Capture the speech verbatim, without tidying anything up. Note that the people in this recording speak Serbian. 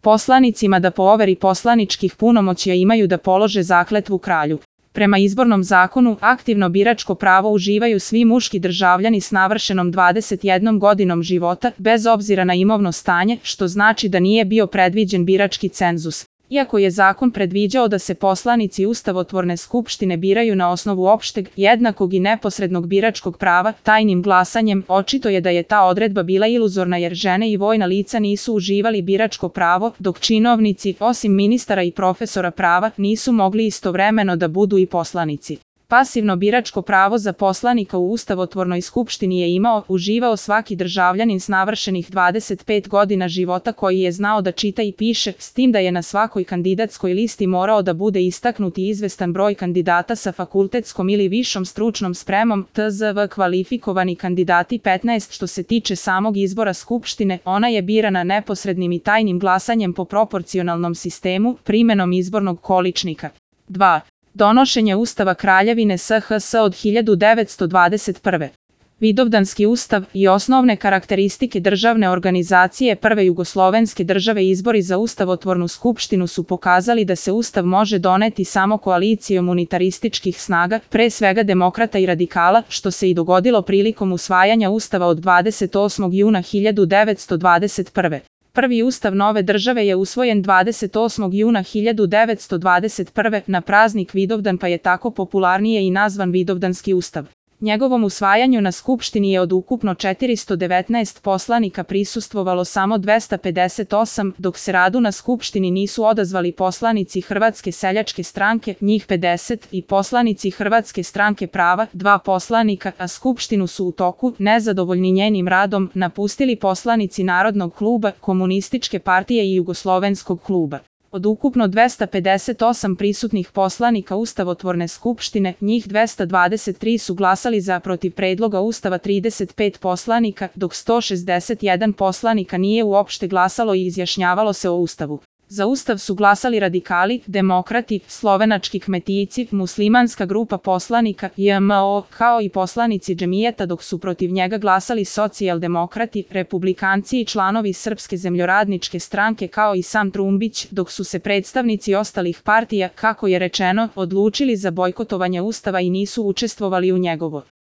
poslanicima da po overi poslaničkih punomoćja imaju da polože zakletvu kralju. Prema izbornom zakonu, aktivno biračko pravo uživaju svi muški državljani s navršenom dvadeset jednom godinom života, bez obzira na imovno stanje, što znači da nije bio predviđen birački cenzus. Iako je zakon predviđao da se poslanici ustavotvorne skupštine biraju na osnovu opšteg, jednakog i neposrednog biračkog prava, tajnim glasanjem, očito je da je ta odredba bila iluzorna jer žene i vojna lica nisu uživali biračko pravo, dok činovnici, osim ministara i profesora prava, nisu mogli istovremeno da budu i poslanici. Pasivno biračko pravo za poslanika u ustavotvornoj skupštini je imao, uživao svaki državljanin s navršenih dvadeset pet godina života koji je znao da čita i piše, s tim da je na svakoj kandidatskoj listi morao da bude istaknut i izvestan broj kandidata sa fakultetskom ili višom stručnom spremom, T Z V kvalifikovani kandidati petnaest. Što se tiče samog izbora skupštine, ona je birana neposrednim i tajnim glasanjem po proporcionalnom sistemu, primenom izbornog količnika. dva. Donošenje Ustava Kraljevine S H S od hiljadu devetsto dvadeset prve. Vidovdanski ustav i osnovne karakteristike državne organizacije prve jugoslovenske države. Izbori za ustavotvornu skupštinu su pokazali da se ustav može doneti samo koalicijom unitarističkih snaga, pre svega demokrata i radikala, što se i dogodilo prilikom usvajanja ustava od dvadeset osmog juna hiljadu devetsto dvadeset prve. Prvi ustav nove države je usvojen dvadeset osmog juna hiljadu devetsto dvadeset prve na praznik Vidovdan, pa je tako popularnije i nazvan Vidovdanski ustav. Njegovom usvajanju na skupštini je od ukupno četiristo devetnaest poslanika prisustvovalo samo dvesta pedeset osam, dok se radu na skupštini nisu odazvali poslanici Hrvatske seljačke stranke, njih pedeset, i poslanici Hrvatske stranke prava, dva poslanika, a skupštinu su u toku, nezadovoljni njenim radom, napustili poslanici Narodnog kluba, Komunističke partije i Jugoslovenskog kluba. Od ukupno dvesta pedeset osam prisutnih poslanika ustavotvorne skupštine, njih dvesta dvadeset tri su glasali za protiv predloga ustava trideset pet poslanika, dok sto šezdeset jedan poslanika nije uopšte glasalo i izjašnjavalo se o ustavu. Za ustav su glasali radikali, demokrati, slovenački kmetijci, muslimanska grupa poslanika, J M O, kao i poslanici džemijeta, dok su protiv njega glasali socijaldemokrati, republikanci i članovi Srpske zemljoradničke stranke kao i sam Trumbić, dok su se predstavnici ostalih partija, kako je rečeno, odlučili za bojkotovanje ustava i nisu učestvovali u njegovo